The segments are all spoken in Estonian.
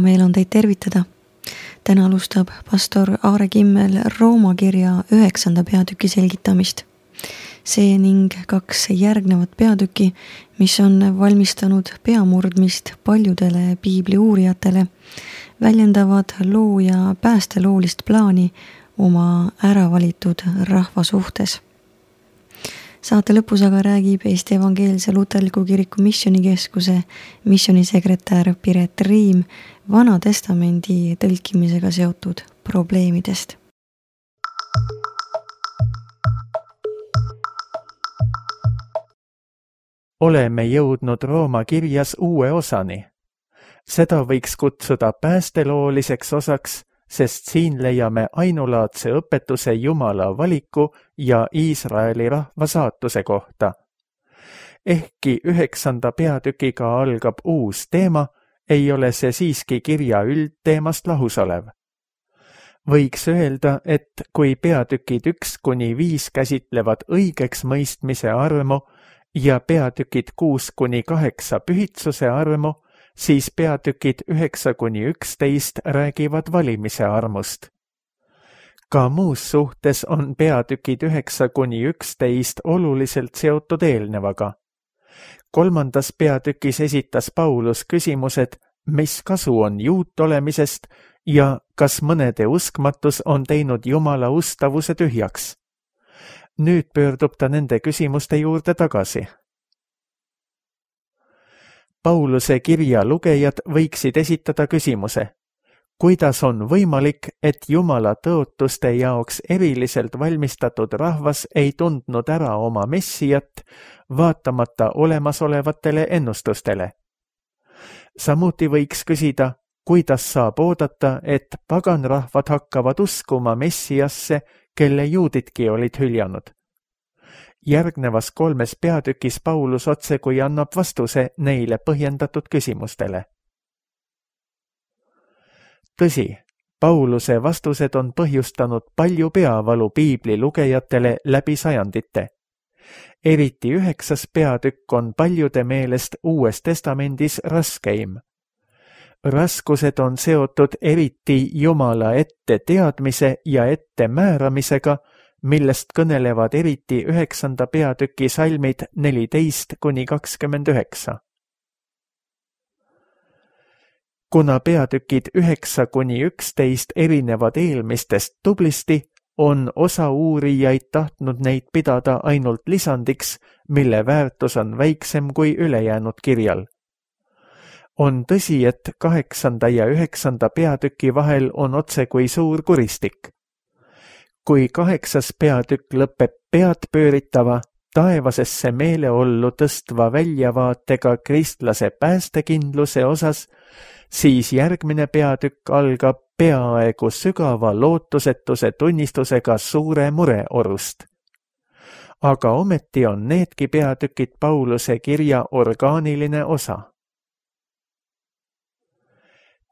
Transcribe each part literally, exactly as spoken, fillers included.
meel on teid tervitada. Täna alustab pastor Aare Kimmel Rooma kirja üheksanda peatüki selgitamist. See ning kaks järgnevat peatüki, mis on valmistanud peamurdmist paljudele piibli uurijatele, väljendavad looja päästeloolist plaani oma äravalitud rahva suhtes. Saate lõpus aga räägib Eesti Evangeelse Luterliku Kiriku Missionikeskuse missionisekretär Piret Riim Vana Testamendi tõlkimisega seotud probleemidest. Oleme jõudnud Rooma kirjas uue osani. Seda võiks kutsuda päästelooliseks osaks, sest siin leiame ainulaadse õpetuse Jumala valiku ja Iisraeli rahva saatuse kohta. Ehkki üheksanda peatükiga algab uus teema, ei ole see siiski kirja üldteemast lahus olev. Võiks öelda, et kui peatükid üks kuni viis käsitlevad õigeks mõistmise armu ja peatükid kuus kuni kaheksa pühitsuse armu, siis peatükid üheksa kuni üksteist räägivad valimise armust. Ka muus suhtes on peatükid üheksa kuni üksteist oluliselt seotud eelnevaga. Kolmandas peatükis esitas Paulus küsimused, mis kasu on juut olemisest ja kas mõnede uskmatus on teinud Jumala ustavuse tühjaks. Nüüd pöördub ta nende küsimuste juurde tagasi. Pauluse kirja lugejad võiksid esitada küsimuse, kuidas on võimalik, et Jumala tõotuste jaoks eriliselt valmistatud rahvas ei tundnud ära oma messijat, vaatamata olemasolevatele ennustustele. Samuti võiks küsida, kuidas saab oodata, et paganrahvad hakkavad uskuma messiasse, kelle juudidki olid hüljanud. Järgnevas kolmes peatükis Paulus otsekui annab vastuse neile põhjendatud küsimustele. Tõsi, Pauluse vastused on põhjustanud palju peavalu piibli lugejatele läbi sajandite. Eriti üheksas peatükk on paljude meelest Uues Testamendis raskeim. Raskused on seotud eriti Jumala ette teadmise ja ette määramisega, millest kõnelevad eriti üheksanda peatüki salmid neliteist kuni kakskümmend üheksa. Kuna peatükid üheksa kuni üksteist erinevad eelmistest tublisti, on osa uurijaid tahtnud neid pidada ainult lisandiks, mille väärtus on väiksem kui ülejäänud kirjal. On tõsi, et kaheksanda ja üheksanda peatüki vahel on otse kui suur kuristik. Kui kaheksas peatükk lõpeb pead pööritava, taevasesse meeleollu tõstva väljavaatega kristlase päästekindluse osas, siis järgmine peatükk algab peaaegu sügava lootusetuse tunnistusega suure mureorust. Aga ometi on needki peatükid Pauluse kirja orgaaniline osa.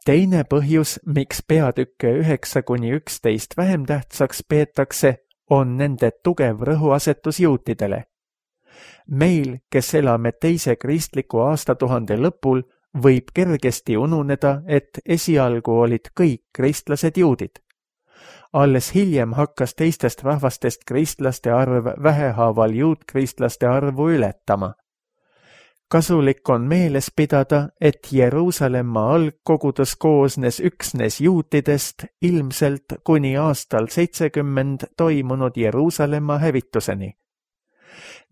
Teine põhjus, miks peatükke üheksa kuni üksteist vähem tähtsaks peetakse, on nende tugev rõhuasetus juutidele. Meil, kes elame teise kristliku aastatuhande lõpul, võib kergesti ununeda, et esialgu olid kõik kristlased juudid. Alles hiljem hakkas teistest rahvastest kristlaste arv vähehaaval juutkristlaste arvu ületama. Kasulik on meeles pidada, et Jeruusalemma algkogudus koosnes üksnes juutidest ilmselt kuni aastal seitsekümmend toimunud Jeruusalemma hävituseni.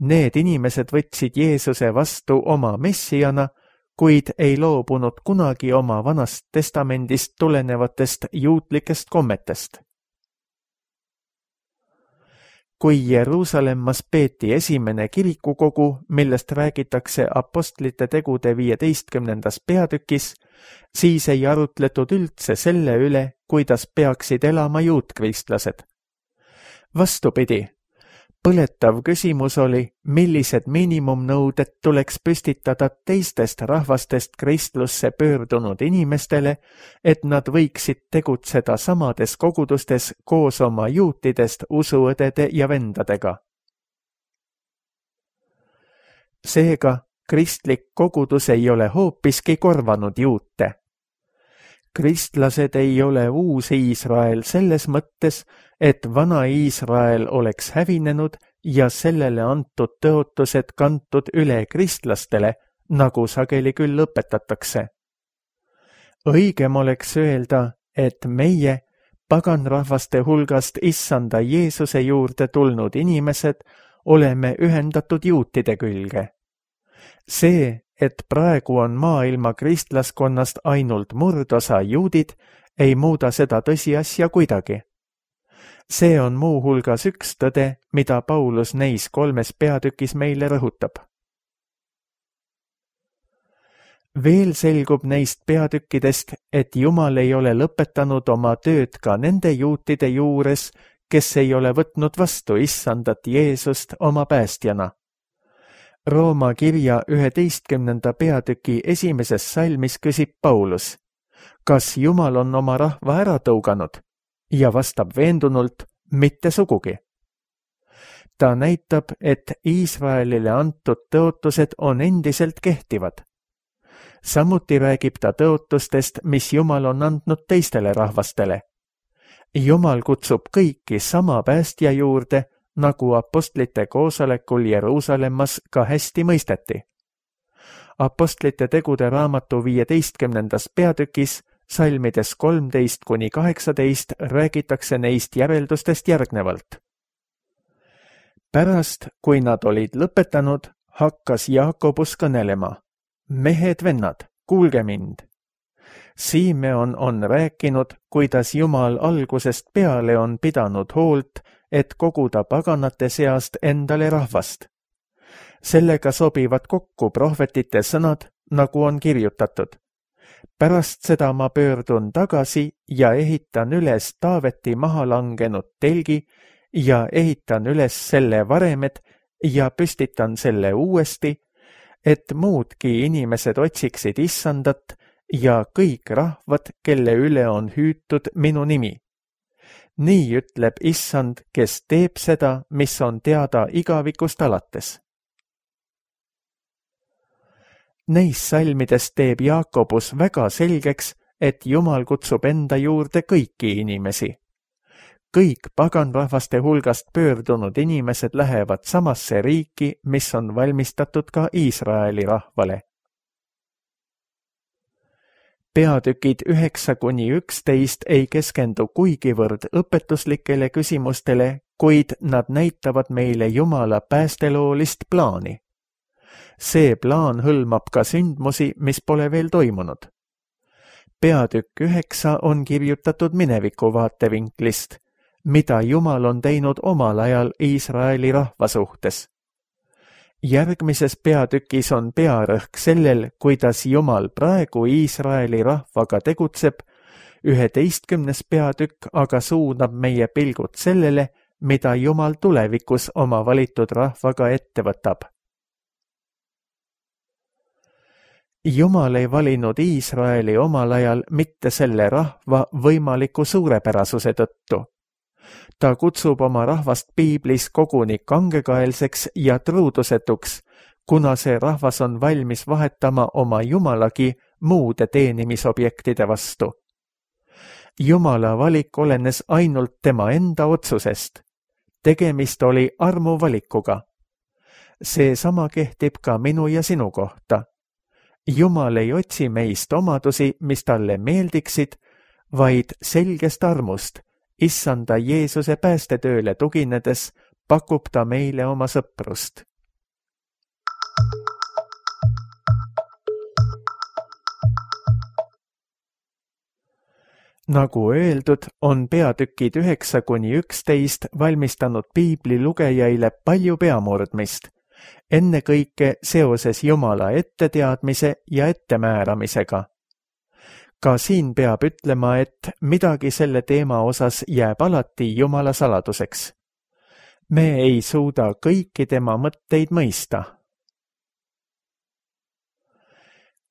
Need inimesed võtsid Jeesuse vastu oma messijana, kuid ei loobunud kunagi oma Vanast Testamendist tulenevatest juutlikest kommetest. Kui Jeruusalemmas peeti esimene kirikukogu, millest räägitakse apostlite tegude viieteistkümnendas peatükis, siis ei arutletud üldse selle üle, kuidas peaksid elama juutkristlased. Vastupidi, põletav küsimus oli, millised miinimumnõuded tuleks püstitada teistest rahvastest kristlusse pöördunud inimestele, et nad võiksid tegutseda samades kogudustes koos oma juutidest usuõdede ja vendadega. Seega, kristlik kogudus ei ole hoopiski korvanud juute. Kristlased ei ole uus Iisrael selles mõttes, et vana Iisrael oleks hävinenud ja sellele antud tõotused kantud üle kristlastele, nagu sageli küll õpetatakse. Õigem oleks öelda, et meie, paganrahvaste hulgast issanda Jeesuse juurde tulnud inimesed, oleme ühendatud juutide külge. See, et praegu on maailma kristlaskonnast ainult murdosa juudid, ei muuda seda tõsiasja kuidagi. See on muuhulgas üks tõde, mida Paulus neis kolmes peatükis meile rõhutab. Veel selgub neist peatükkidest, et Jumal ei ole lõpetanud oma tööd ka nende juutide juures, kes ei ole võtnud vastu issandat Jeesust oma päästjana. Rooma kirja üheteistkümnenda peatüki esimeses salmis küsib Paulus, kas Jumal on oma rahva ära tõuganud, ja vastab veendunult, mitte sugugi. Ta näitab, et Iisraelile antud tõotused on endiselt kehtivad. Samuti räägib ta tõotustest, mis Jumal on andnud teistele rahvastele. Jumal kutsub kõiki sama päästja juurde, nagu apostlite koosolekul Jeruusalemmas ka hästi mõisteti. Apostlite tegude raamatu viieteistkümnendas peatükis, salmides kolmteist kuni kaheksateist, räägitakse neist järeldustest järgnevalt. Pärast, kui nad olid lõpetanud, hakkas Jaakobus kõnelema. Mehed vennad, kuulge mind. Simeon on rääkinud, kuidas Jumal algusest peale on pidanud hoolt, et koguda paganate seast endale rahvast. Sellega sobivad kokku prohvetite sõnad, nagu on kirjutatud. Pärast seda ma pöördun tagasi ja ehitan üles Taaveti maha langenud telgi ja ehitan üles selle varemed ja püstitan selle uuesti, et muudki inimesed otsiksid issandat ja kõik rahvad, kelle üle on hüütud minu nimi. Nii ütleb issand, kes teeb seda, mis on teada igavikust alates. Neis salmides teeb Jaakobus väga selgeks, et Jumal kutsub enda juurde kõiki inimesi. Kõik paganrahvaste hulgast pöördunud inimesed lähevad samasse riiki, mis on valmistatud ka Iisraeli rahvale. Peatükid üheksa kuni üksteist ei keskendu kuigivõrd õpetuslikele küsimustele, kuid nad näitavad meile Jumala päästeloolist plaani. See plaan hõlmab ka sündmusi, mis pole veel toimunud. Peatükk üheksa on kirjutatud mineviku vaatevinklist, mida Jumal on teinud omal ajal Iisraeli rahva suhtes. Järgmises peatükis on pearõhk sellel, kuidas Jumal praegu Iisraeli rahvaga tegutseb, üheteistkümnes peatükk aga suunab meie pilgud sellele, mida Jumal tulevikus oma valitud rahvaga ette võtab. Jumal ei valinud Iisraeli omal ajal mitte selle rahva võimaliku suurepärasuse tõttu. Ta kutsub oma rahvast piiblis koguni kangekaelseks ja truudusetuks, kuna see rahvas on valmis vahetama oma jumalagi muude teenimisobjektide vastu. Jumala valik olenes ainult tema enda otsusest. Tegemist oli armuvalikuga. Seesama kehtib ka minu ja sinu kohta. Jumal ei otsi meist omadusi, mis talle meeldiksid, vaid selgest armust, issanda Jeesuse päästetööle tuginedes, pakub ta meile oma sõprust. Nagu öeldud, on peatükid üheksa kuni üksteist valmistanud piibli lugejaile palju peamurdmist, ennekõike seoses Jumala etteteadmise ja ettemääramisega. Ka siin peab ütlema, et midagi selle teema osas jääb alati Jumala saladuseks. Me ei suuda kõiki tema mõtteid mõista.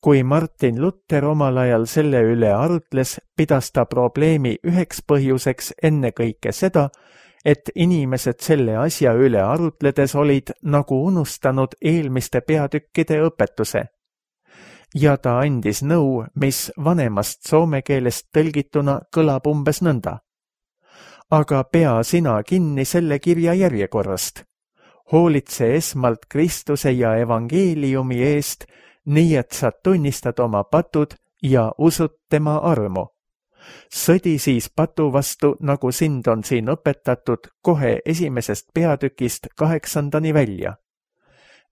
Kui Martin Luther omal ajal selle üle arutles, pidas ta probleemi üheks põhjuseks ennekõike seda, et inimesed selle asja üle arutledes olid nagu unustanud eelmiste peatükkide õpetuse. ja ta andis nõu, mis vanemast soome keelest tõlgituna kõlab umbes nõnda. Aga pea sina kinni selle kirja järjekorrast. Hoolitse esmalt Kristuse ja evangeeliumi eest, nii et sa tunnistad oma patud ja usud tema armu. Sõdi siis patu vastu, nagu sind on siin õpetatud kohe esimesest peatükist kaheksandani välja.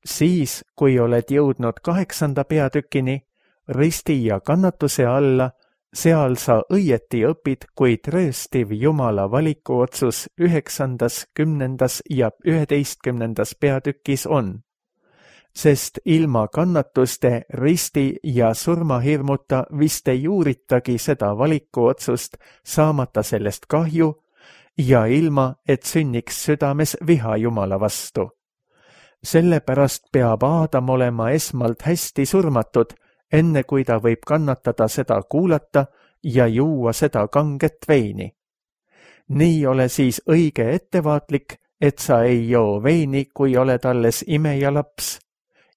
Siis, kui oled jõudnud kaheksanda peatükini, risti ja kannatuse alla, seal sa õieti õpid, kui trööstiv Jumala valikuotsus üheksandas, kümnendas ja üheteistkümnendas peatükis on. Sest ilma kannatuste, risti ja surmahirmuta vist ei uuritagi seda valikuotsust, saamata sellest kahju ja ilma, et sünniks südames viha Jumala vastu. Sellepärast peab Aadam olema esmalt hästi surmatud, enne kui ta võib kannatada seda kuulata ja juua seda kanget veini. Nii ole siis õige ettevaatlik, et sa ei joo veini, kui oled alles imeja laps.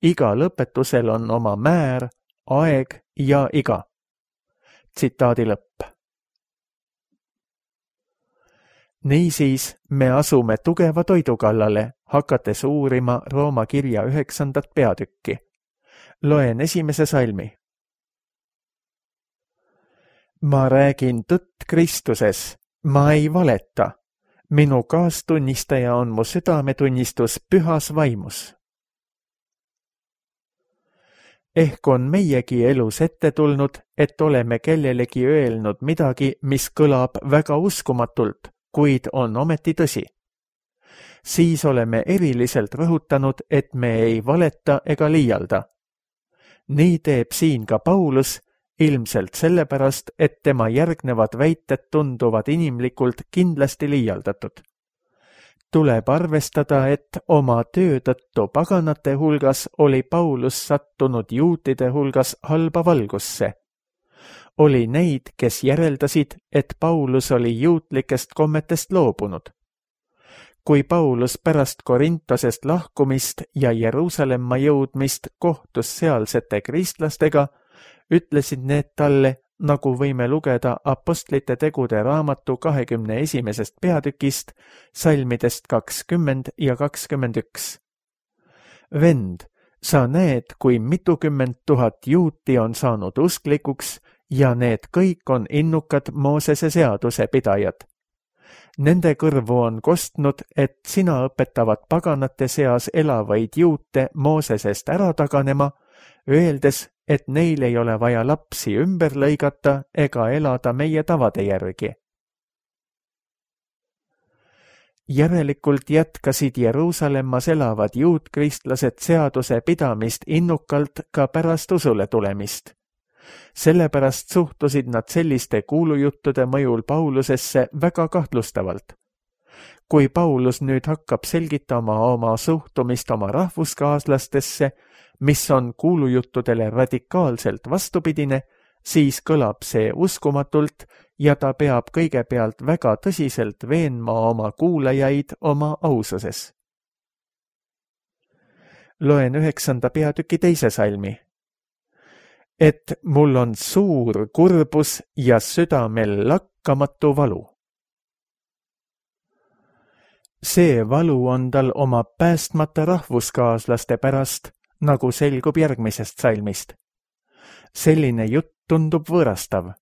Iga lõpetusel on oma määr, aeg ja iga. Tsitaadi lõpp. Niisiis me asume tugeva toidu kallale, hakates uurima Rooma kirja üheksandat peatükki. Loen esimese salmi. Ma räägin tõtt Kristuses, ma ei valeta. Minu kaastunnistaja on mu südametunnistus pühas vaimus. Ehk on meiegi elus ette tulnud, et oleme kellelegi öelnud midagi, mis kõlab väga uskumatult, kuid on ometi tõsi. Siis oleme eriliselt rõhutanud, et me ei valeta ega liialda. Nii teeb siin ka Paulus, ilmselt sellepärast, et tema järgnevad väited tunduvad inimlikult kindlasti liialdatud. Tuleb arvestada, et oma töö tõttu paganate hulgas oli Paulus sattunud juutide hulgas halba valgusse. Oli neid, kes järeldasid, et Paulus oli juutlikest kommetest loobunud. Kui Paulus pärast Korintosest lahkumist ja Jeruusalemma jõudmist kohtus sealsete kristlastega, ütlesid need talle, nagu võime lugeda Apostlite tegude raamatu kahekümne esimesest peatükist, salmidest kakskümmend ja kakskümmend üks. Vend, sa näed, kui mitukümmend tuhat juuti on saanud usklikuks ja need kõik on innukad Moosese seaduse pidajad. Nende kõrvu on kostnud, et sina õpetavad paganate seas elavaid juute Moosesest ära taganema, öeldes, et neil ei ole vaja lapsi ümber lõigata ega elada meie tavade järgi. Järelikult jätkasid Jeruusalemmas elavad juutkristlased seaduse pidamist innukalt ka pärast usule tulemist. Sellepärast suhtusid nad selliste kuulujuttude mõjul Paulusesse väga kahtlustavalt. Kui Paulus nüüd hakkab selgitama oma suhtumist oma rahvuskaaslastesse, mis on kuulujuttudele radikaalselt vastupidine, siis kõlab see uskumatult ja ta peab kõigepealt väga tõsiselt veenma oma kuulajaid oma aususes. Loen üheksanda peatüki teise salmi. Et mul on suur kurbus ja südamel lakkamatu valu. See valu on tal oma päästmata rahvuskaaslaste pärast, nagu selgub järgmisest salmist. Selline jutt tundub võõrastav.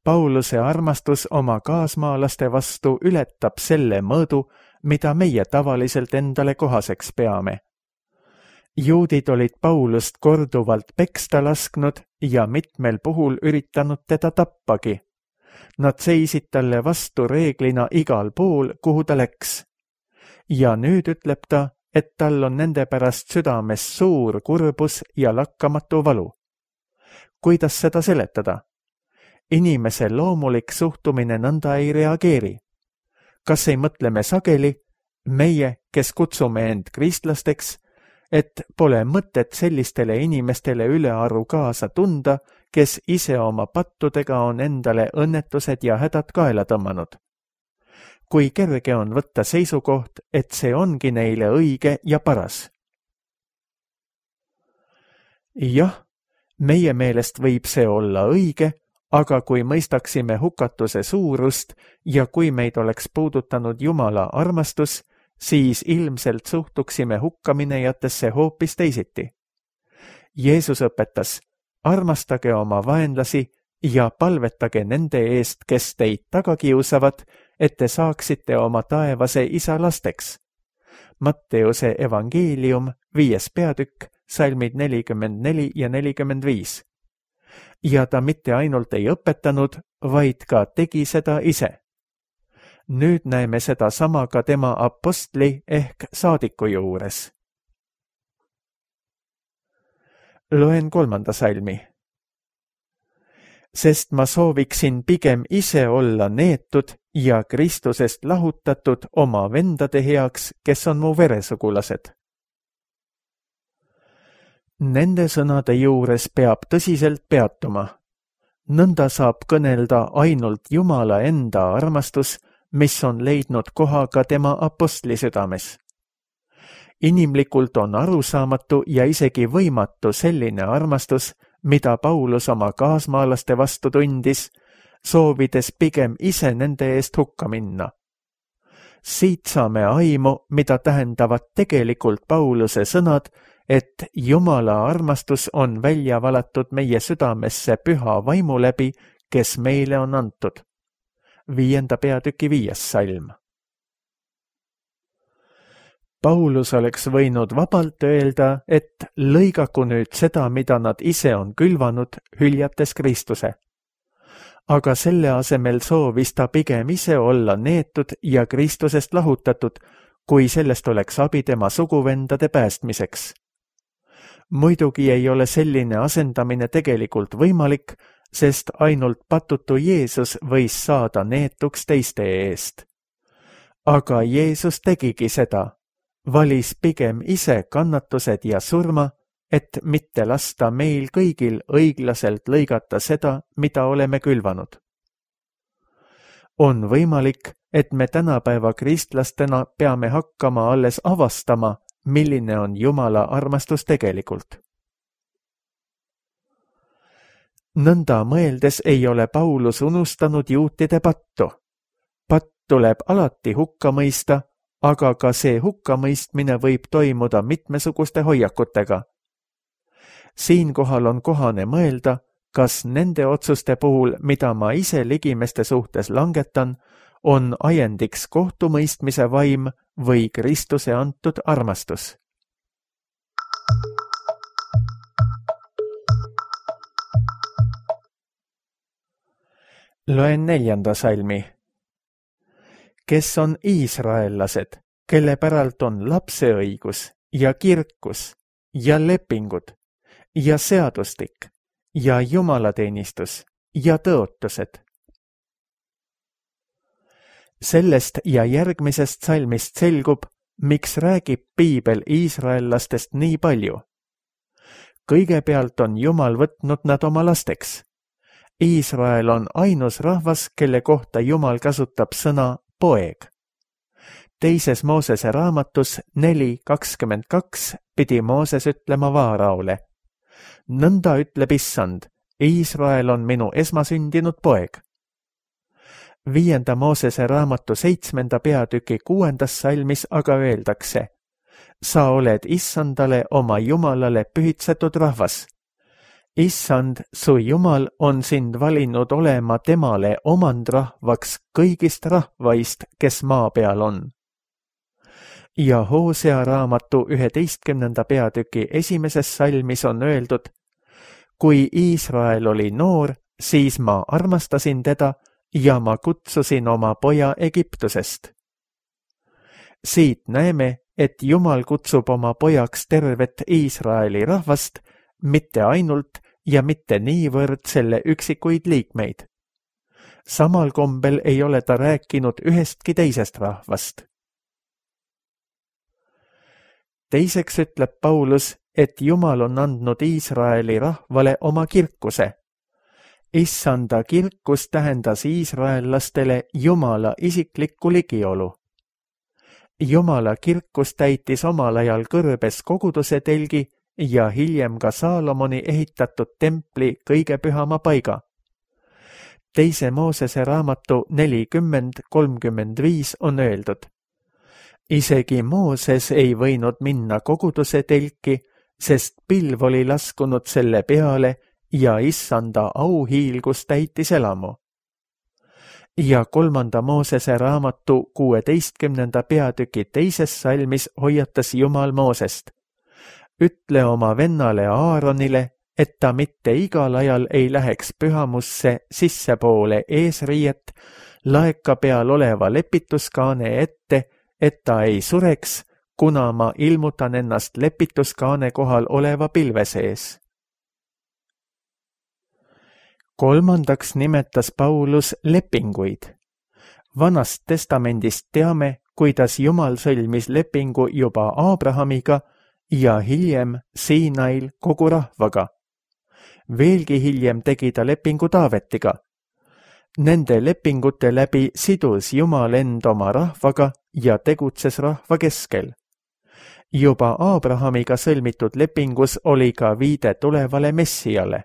Pauluse armastus oma kaasmaalaste vastu ületab selle mõõdu, mida meie tavaliselt endale kohaseks peame. Juudid olid Paulust korduvalt peksta lasknud ja mitmel puhul üritanud teda tappagi. Nad seisid talle vastu reeglina igal pool, kuhu ta läks. Ja nüüd ütleb ta, et tal on nende pärast südames suur kurbus ja lakkamatu valu. Kuidas seda seletada? Inimese loomulik suhtumine nõnda ei reageeri. Kas ei mõtle me sageli, meie, kes kutsume end kristlasteks, et pole mõtet sellistele inimestele ülearu kaasa tunda, kes ise oma pattudega on endale õnnetused ja hädad kaela tõmmanud. Kui kerge on võtta seisukoht, et see ongi neile õige ja paras. Jah, Meie meelest võib see olla õige, aga kui mõistaksime hukatuse suurust ja kui meid oleks puudutanud Jumala armastus, siis ilmselt suhtuksime hukkaminejatesse hoopis teisiti. Jeesus õpetas, armastage oma vaenlasi ja palvetage nende eest, kes teid taga kiusavad, et te saaksite oma taevase isa lasteks. Matteuse evangeelium, viies peatükk, salmid nelikümmend neli ja nelikümmend viis. Ja ta mitte ainult ei õpetanud, vaid ka tegi seda ise. Nüüd näeme seda sama ka tema apostli ehk saadiku juures. Loen kolmanda salmi. Sest ma sooviksin pigem ise olla neetud ja Kristusest lahutatud oma vendade heaks, kes on mu veresugulased. Nende sõnade juures peab tõsiselt peatuma. Nõnda saab kõnelda ainult Jumala enda armastus, mis on leidnud koha ka tema apostli südames. Inimlikult on arusaamatu ja isegi võimatu selline armastus, mida Paulus oma kaasmaalaste vastu tundis, soovides pigem ise nende eest hukka minna. Siit saame aimu, mida tähendavad tegelikult Pauluse sõnad, et Jumala armastus on välja valatud meie südamesse püha vaimu läbi, kes meile on antud. Viienda peatüki viies salm. Paulus oleks võinud vabalt öelda, et lõigaku nüüd seda, mida nad ise on külvanud, hüljates Kristuse. Aga selle asemel soovis ta pigem ise olla neetud ja Kristusest lahutatud, kui sellest oleks abi tema suguvendade päästmiseks. Muidugi ei ole selline asendamine tegelikult võimalik, sest ainult patutu Jeesus võis saada neetuks teiste eest. Aga Jeesus tegigi seda, valis pigem ise kannatused ja surma, et mitte lasta meil kõigil õiglaselt lõigata seda, mida oleme külvanud. On võimalik, et me tänapäeva kristlastena peame hakkama alles avastama, milline on Jumala armastus tegelikult. Nõnda mõeldes ei ole Paulus unustanud juutide pattu. Patt tuleb alati hukka mõista, aga ka see hukkamõistmine võib toimuda mitmesuguste hoiakutega. Siinkohal on kohane mõelda, kas nende otsuste puhul, mida ma ise ligimeste suhtes langetan, on ajendiks kohtumõistmise vaim või Kristuse antud armastus. Loen neljanda salmi. Kes on iisraellased, kelle päralt on lapseõigus ja kirkus ja lepingud ja seadustik ja jumalateenistus ja tõotused. Sellest ja järgmisest salmist selgub, miks räägib piibel iisraellastest nii palju. Kõigepealt on Jumal võtnud nad oma lasteks. Iisrael on ainus rahvas, kelle kohta Jumal kasutab sõna poeg. Teises Moosese raamatus neli kakskümmend kaks pidi Mooses ütlema Vaaraole. Nõnda ütleb Issand, Iisrael on minu esmasündinud poeg. Viienda Moosese raamatu seitsmenda peatüki kuuendas salmis aga öeldakse, sa oled Issandale oma Jumalale pühitsetud rahvas. Issand, su Jumal on sind valinud olema temale omandrahvaks kõigist rahvaist, kes maa peal on. Ja Hoosea raamatu üheteistkümnenda peatüki esimeses salmis on öeldud, kui Iisrael oli noor, siis ma armastasin teda ja ma kutsusin oma poja Egiptusest. Siit näeme, et Jumal kutsub oma pojaks tervet Iisraeli rahvast, mitte ainult ja mitte niivõrd selle üksikuid liikmeid. Samal kombel ei ole ta rääkinud ühestki teisest rahvast. Teiseks ütleb Paulus, et Jumal on andnud Iisraeli rahvale oma kirkuse. Issanda kirkus tähendas iisraellastele Jumala isiklikku ligiolu. Jumala kirkus täitis omal ajal kõrbes koguduse telgi ja hiljem ka Saalomoni ehitatud templi kõige pühama paiga. Teise Moosese raamatu nelikümmend kolmkümmend viis on öeldud: isegi Mooses ei võinud minna koguduse telki, sest pilv oli laskunud selle peale ja issanda auhiilgus täitis elamu. Ja kolmanda Moosese raamatu kuueteistkümnenda peatüki teises salmis hoiatas Jumal Moosest: ütle oma vennale Aaronile, et ta mitte igal ajal ei läheks pühamusse sissepoole eesriiet laeka peal oleva lepituskaane ette, et ta ei sureks, kuna ma ilmutan ennast lepituskaane kohal oleva pilve sees. Kolmandaks nimetas Paulus lepinguid. Vanast testamendist teame, kuidas Jumal sõlmis lepingu juba Aabrahamiga ja hiljem Siinail kogu rahvaga. Veelgi hiljem tegi ta lepingu Taavetiga. Nende lepingute läbi sidus Jumal end oma rahvaga ja tegutses rahva keskel. Juba Aabrahamiga sõlmitud lepingus oli ka viide tulevale Messiale.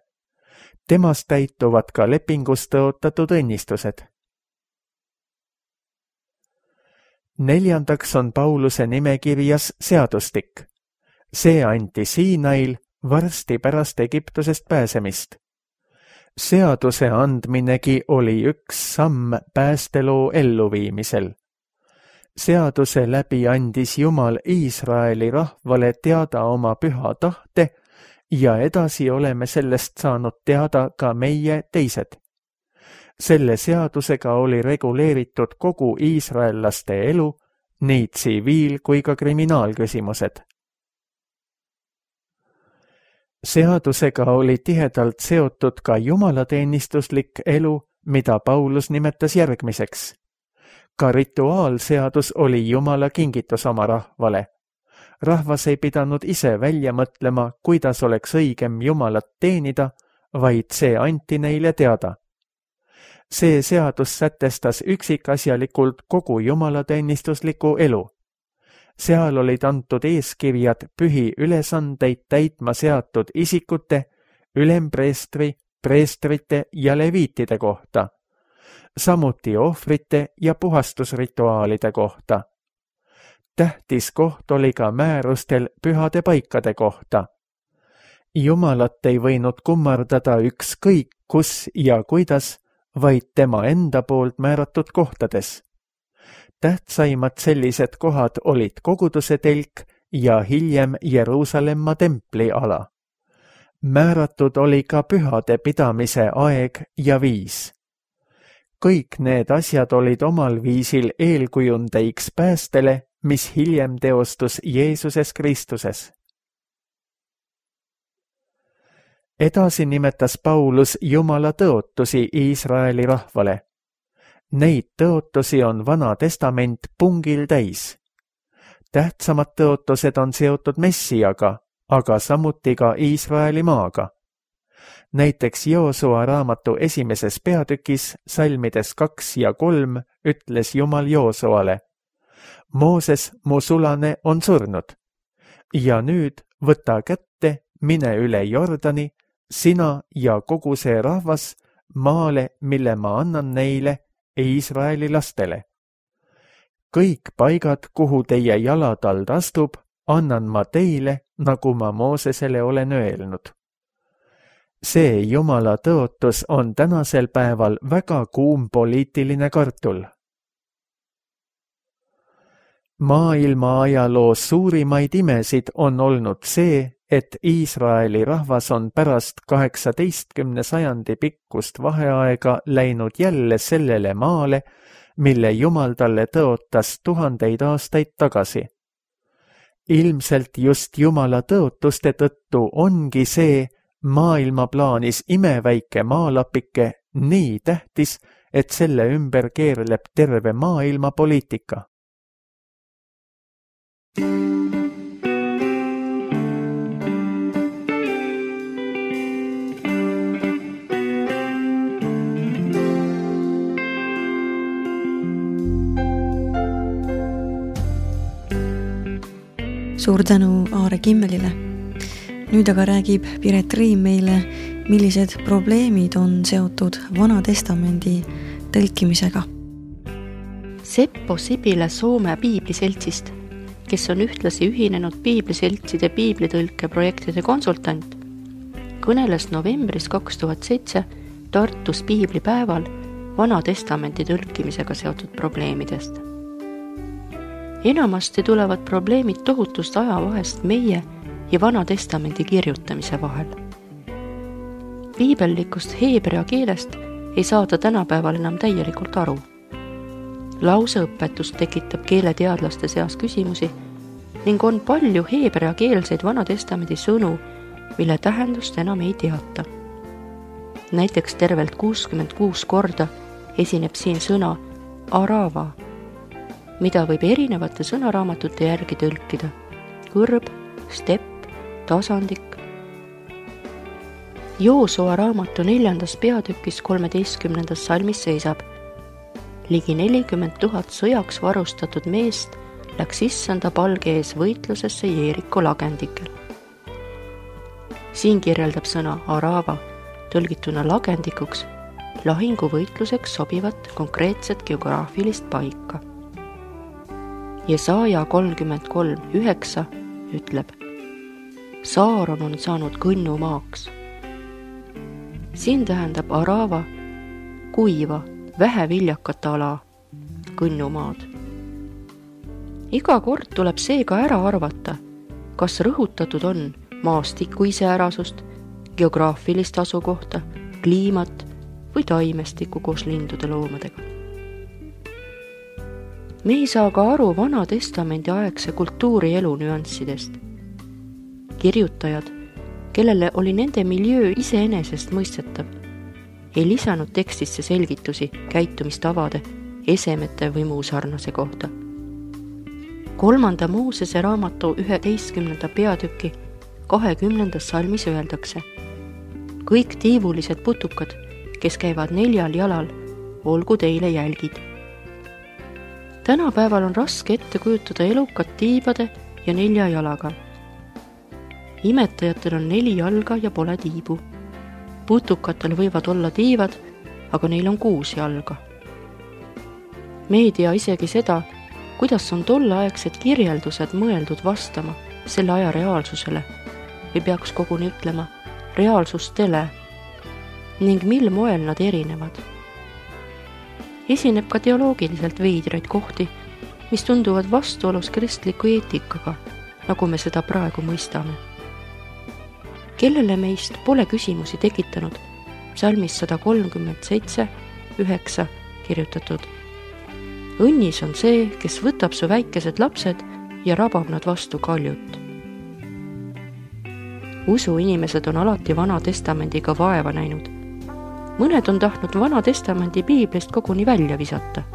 Temast täituvad ka lepingus tõotatud õnnistused. Neljandaks on Pauluse nimekirjas seadustik. See anti Siinail varsti pärast Egiptusest pääsemist. Seaduse andminegi oli üks samm päästeloo elluviimisel. Seaduse läbi andis Jumal Iisraeli rahvale teada oma püha tahte ja edasi oleme sellest saanud teada ka meie teised. Selle seadusega oli reguleeritud kogu iisraellaste elu, nii tsiviil- kui ka kriminaalküsimused. Seadusega oli tihedalt seotud ka jumalateenistuslik elu, mida Paulus nimetas järgmiseks. Ka rituaalseadus oli Jumala kingitus oma rahvale. Rahvas ei pidanud ise välja mõtlema, kuidas oleks õigem Jumalat teenida, vaid see anti neile teada. See seadus sätestas üksikasjalikult kogu jumalateenistusliku elu. Seal olid antud eeskirjad pühi ülesandeid täitma seatud isikute, ülempreestri, preestrite ja leviitide kohta, samuti ohvrite ja puhastusrituaalide kohta. Tähtis koht oli ka määrustel pühade paikade kohta. Jumalat ei võinud kummardada ükskõik kus ja kuidas, vaid tema enda poolt määratud kohtades. Tähtsaimad sellised kohad olid koguduse telk ja hiljem Jeruusalemma templi ala. Määratud oli ka pühade pidamise aeg ja viis. Kõik need asjad olid omal viisil eelkujundeiks päästele, mis hiljem teostus Jeesuses Kristuses. Edasi nimetas Paulus Jumala tõotusi Iisraeli rahvale. Neid tõotusi on Vana Testament pungil täis. Tähtsamad tõotused on seotud Messiaga, aga samuti ka Iisraeli maaga. Näiteks Joosua raamatu esimeses peatükis salmides kaks ja kolm ütles Jumal Joosuale: Mooses, mu sulane, on surnud. Ja nüüd võta kätte, mine üle Jordani, sina ja kogu see rahvas maale, mille ma annan neile, Iisraeli lastele. Kõik paigad, kuhu teie jalatald astub, annan ma teile, nagu ma Moosesele olen öelnud. See Jumala tõotus on tänasel päeval väga kuum poliitiline kartul. Maailma ajaloos suurimaid imesid on olnud see, et Iisraeli rahvas on pärast kaheksateistkümne sajandi pikkust vaheaega läinud jälle sellele maale, mille Jumal talle tõotas tuhandeid aastaid tagasi. Ilmselt just Jumala tõotuste tõttu ongi see maailma plaanis imeväike maalapike nii tähtis, et selle ümber keerleb terve maailma poliitika. Suur tänu Aare Kimmelile. nüüd aga räägib Piret Riim meile, millised probleemid on seotud Vana Testamendi tõlkimisega. Seppo Sibile Soome piibliseltsist, kes on ühtlasi ühinenud piibliseltside piiblitõlke projektide konsultant, kõneles novembris kaks tuhat seitse Tartus piiblipäeval Vana Testamendi tõlkimisega seotud probleemidest. Enamasti tulevad probleemid tohutust ajavahest meie ja Vana Testamendi kirjutamise vahel. Piibellikust heebrea keelest ei saada tänapäeval enam täielikult aru. Lauseõpetus tekitab keeleteadlaste seas küsimusi ning on palju heebreakeelseid Vana Testamendi sõnu, mille tähendust enam ei teata. Näiteks tervelt kuuskümmend kuus korda esineb siin sõna arava, mida võib erinevate sõnaraamatute järgi tõlkida kõrb, stepp, tasandik. Joosua raamatu neljandas peatükis kolmeteistkümnendas salmis seisab: ligi nelikümmend tuhat sõjaks varustatud meest läks issanda palge ees võitlusesse Jeeriko lagendikel. Siin kirjeldab sõna arava tõlgituna lagendikuks lahinguvõitluseks sobivat konkreetset geograafilist paika. Jesaaja kolmkümmend kolm üheksa ütleb: Saaron on saanud kõnnumaaks. Siin tähendab arava kuiva, väheviljakat ala, kõnnumaad. Iga kord tuleb seega ära arvata, kas rõhutatud on maastiku iseärasust, geograafilist asukohta, kliimat või taimestikku koos lindude loomadega. Me ei saa ka aru Vana Testamendi aegse kultuurielu nüanssidest. Kirjutajad, kellele oli nende miljöö iseenesest mõistetav, ei lisanud tekstisse selgitusi käitumistavade, esemete või muu sarnase kohta. Kolmanda Moosese raamatu üheteistkümnenda peatüki kahekümnendas salmis öeldakse: kõik tiivulised putukad, kes käivad neljal jalal, olgu teile jälgid. Tänapäeval on raske ette kujutada elukat tiibade ja nelja jalaga. Imetajatel on neli jalga ja pole tiibu. Putukatel võivad olla tiivad, aga neil on kuus jalga. Me ei tea isegi seda, kuidas on tolleaegsed kirjeldused mõeldud vastama selle aja reaalsusele või peaks koguni ütlema reaalsustele ning mil moel nad erinevad. Esineb ka teoloogiliselt veidraid kohti, mis tunduvad vastuolus kristliku eetikaga, nagu me seda praegu mõistame. Kellele meist pole küsimusi tekitanud psalmis sada kolmkümmend seitse üheksa kirjutatud: õnnis on see, kes võtab su väikesed lapsed ja rabab nad vastu kaljut. Usuinimesed on alati Vana Testamendiga vaeva näinud. Mõned on tahtnud Vana Testamendi piiblist koguni välja visata.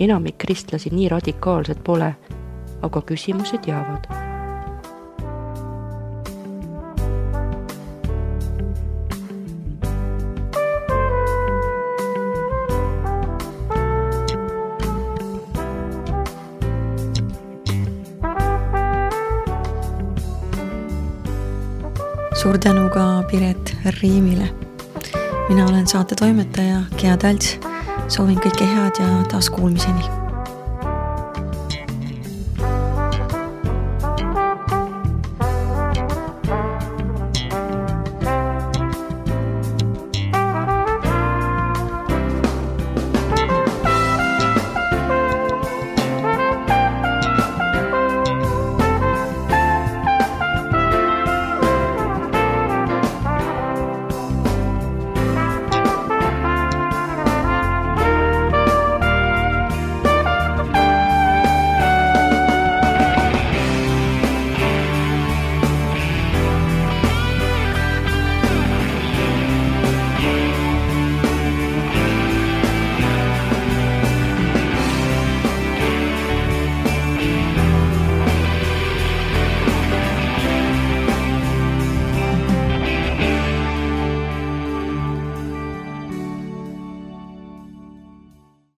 Enamik kristlasi nii radikaalsed pole, aga küsimused jäävad. Suur tänu ka Piret Riimile. Mina olen saate toimetaja Gea Talts. Soovin kõike head ja taas kuulmiseni.